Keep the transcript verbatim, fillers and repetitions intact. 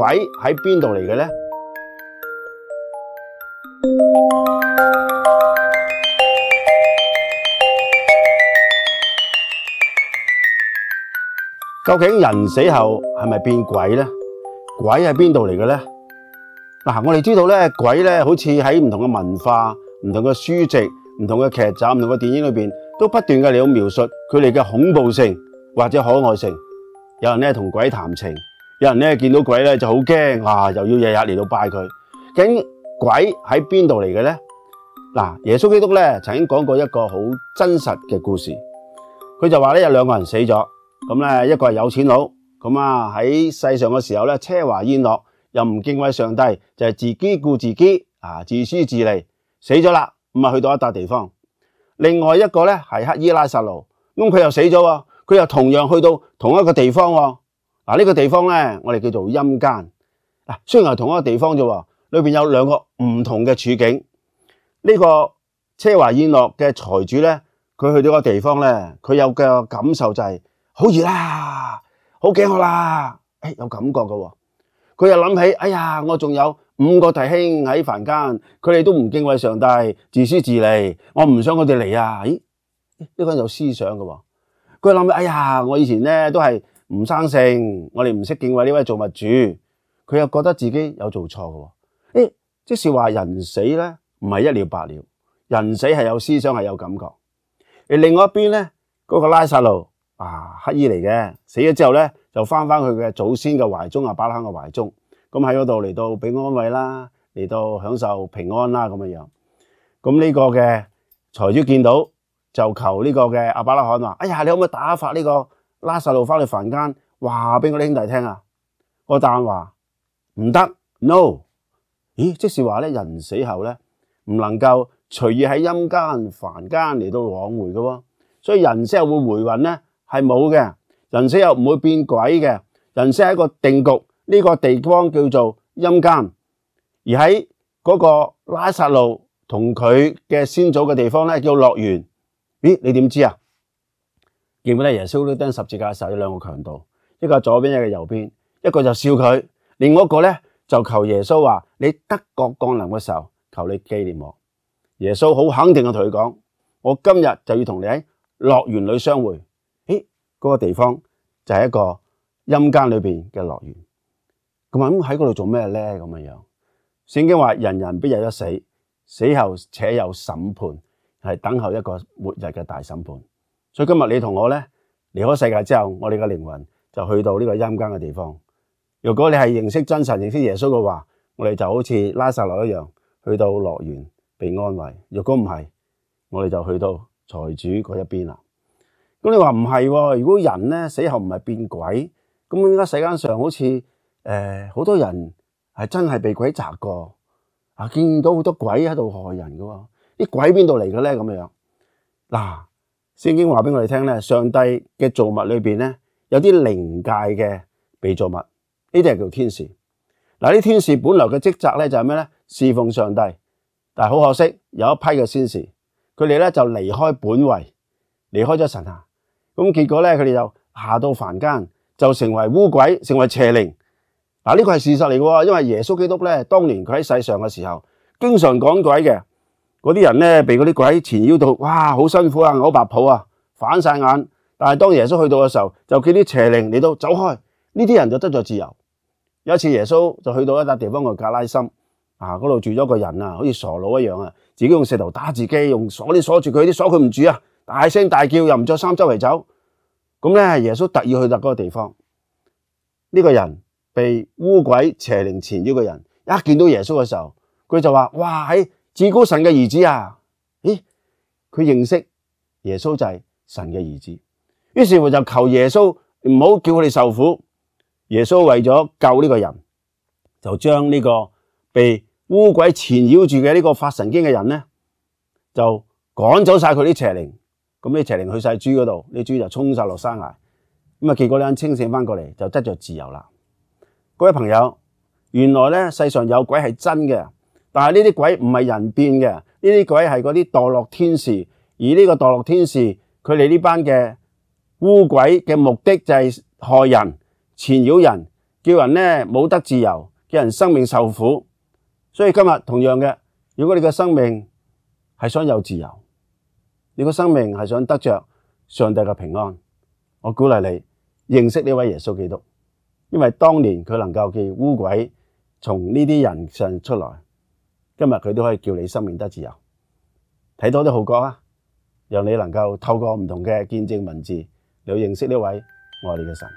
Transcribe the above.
鬼喺邊度嚟嘅呢？究竟人死後係咪變鬼呢？鬼喺邊度嚟嘅呢？嗱，我哋知道咧，鬼咧好似喺唔同嘅文化、唔同嘅書籍、唔同嘅劇集、唔同嘅電影裏邊，都不斷嘅嚟到描述佢哋嘅恐怖性或者可愛性。有人咧同鬼談情，有人咧見到鬼咧就好驚，啊，又要日日嚟到拜佢。究竟鬼喺邊度嚟嘅咧？嗱，耶穌基督咧曾經講過一個好真實嘅故事，佢就話咧有兩個人死咗，咁咧一個係有錢佬，咁啊喺世上嘅時候咧奢華宴樂，又唔敬畏上帝，就係自己顧自己，啊，自私自利，死咗啦，咁啊去到一笪地方。另外一個咧係乞兒拉撒路，咁佢又死咗，佢又同樣去到同一個地方。嗱，呢個地方咧我哋叫做陰間。嗱，雖然係同一個地方啫，裏邊有兩個唔同嘅處境。呢個奢華宴樂嘅財主咧，佢去到個地方咧，佢有嘅感受就係好熱啦，好飢渴啦，誒，有感覺㗎。佢又諗起，哎呀，我仲有五個弟兄喺凡間，佢哋都唔敬畏上帝，自私自利，我唔想佢哋嚟啊！咦，呢個人有思想㗎。佢諗起，哎呀，我以前咧都係唔生性，我哋唔識敬畏呢位造物主，佢又覺得自己有做錯㗎。誒，即是話人死咧唔係一了百了，人死係有思想，係有感覺。而另外一邊咧，嗰個拉撒路啊，乞兒嚟嘅，死咗之後咧就翻翻佢嘅祖先嘅懷中，亞伯拉罕嘅懷中，咁喺嗰度嚟到俾安慰啦，嚟到享受平安啦咁樣樣。咁呢個嘅財主見到就求呢個嘅亞伯拉罕話：哎呀，你可唔可以打發呢個拉撒路翻去凡間，話俾我啲兄弟聽啊？個答案話唔得 ，no。咦，即是話咧，人死後咧唔能夠隨意喺陰間、凡間嚟到往回嘅喎，所以人死後會回魂咧係冇嘅，人死後唔會變鬼嘅，人死係一個定局，呢個地方叫做陰間，而喺嗰個拉撒路同佢嘅先祖嘅地方咧叫樂園。咦，你點知啊？記唔記得耶穌都釘十字架嘅時候有兩個強盜，一個左邊，一個右邊，一個就笑佢，另外一個咧就求耶穌話：你得國降臨嘅時候，求你紀念我。耶穌好肯定嘅同佢講：我今日就要同你喺樂園裏相會。誒，嗰個地方就係一個陰間裏邊嘅樂園。咁啊，咁喺嗰度做咩咧？咁樣樣，聖經話：人人必有一死，死後且有審判，係等候一個末日嘅大審判。所以今日你同我咧離開世界之後，我哋嘅靈魂就去到呢個陰間嘅地方。如果你係認識真神、認識耶穌嘅話，我哋就好似拉撒路一樣，去到樂園被安慰。如果唔係，我哋就去到財主嗰一邊啦。咁你話唔係喎？如果人咧死後唔係變鬼，咁點解世間上好似誒好多人係真係被鬼責過啊？見到好多鬼喺度害人嘅喎，啲鬼邊度嚟嘅咧？咁樣嗱，聖經話俾我哋聽咧，上帝嘅造物裏邊咧有啲靈界嘅被造物。呢啲係叫天使。嗱，啲天使本來嘅職責咧就係咩咧？侍奉上帝。但係好可惜，有一批嘅天使，佢哋咧就離開本位，離開咗神啊。咁結果咧，佢哋就下到凡間，就成為污鬼，成為邪靈。嗱，呢個係事實嚟嘅，因為耶穌基督咧，當年佢喺世上嘅時候，經常趕鬼嘅。嗰啲人咧，被嗰啲鬼纏繞到，哇，好辛苦啊，嘔白泡啊，反晒眼。但係當耶穌去到嘅時候，就叫啲邪靈嚟到走開，呢啲人就得咗自由。有一次耶穌就去到一笪地方叫格拉森，啊，嗰度住咗個人啊，好似傻佬一樣啊，自己用石頭打自己，用鎖鏈鎖住佢，啲鎖佢唔住啊，大聲大叫，又唔着衫周圍走。咁咧，耶穌特意去到嗰個地方，呢個人被污鬼邪靈纏繞嘅人，一見到耶穌嘅時候，佢就話：哇，喺至高神嘅兒子啊！咦，佢認識耶穌就係神嘅兒子，於是乎就求耶穌唔好叫佢哋受苦。耶穌為咗救呢個人，就將呢個被污鬼纏繞住嘅呢個發神經嘅人咧，就趕走晒佢啲邪靈。咁啲邪靈去晒豬嗰度，啲豬就衝晒落山崖。咁啊，結果呢人清醒翻過嚟，就得咗自由啦。各位朋友，原來咧世上有鬼係真嘅，但係呢啲鬼唔係人變嘅，呢啲鬼係嗰啲墮落天使。而呢個墮落天使，佢哋呢班嘅污鬼嘅目的就係害人、纏繞人，叫人呢冇得自由，叫人生命受苦。所以今日同樣嘅，如果你嘅生命係想有自由，你個生命係想得着上帝嘅平安，我鼓勵你認識呢位耶穌基督，因為當年佢能夠叫污鬼從呢啲人上出來，今日佢都可以叫你生命得自由。睇多啲號角啊，讓你能夠透過唔同嘅見證文字，你去認識呢位愛你嘅神。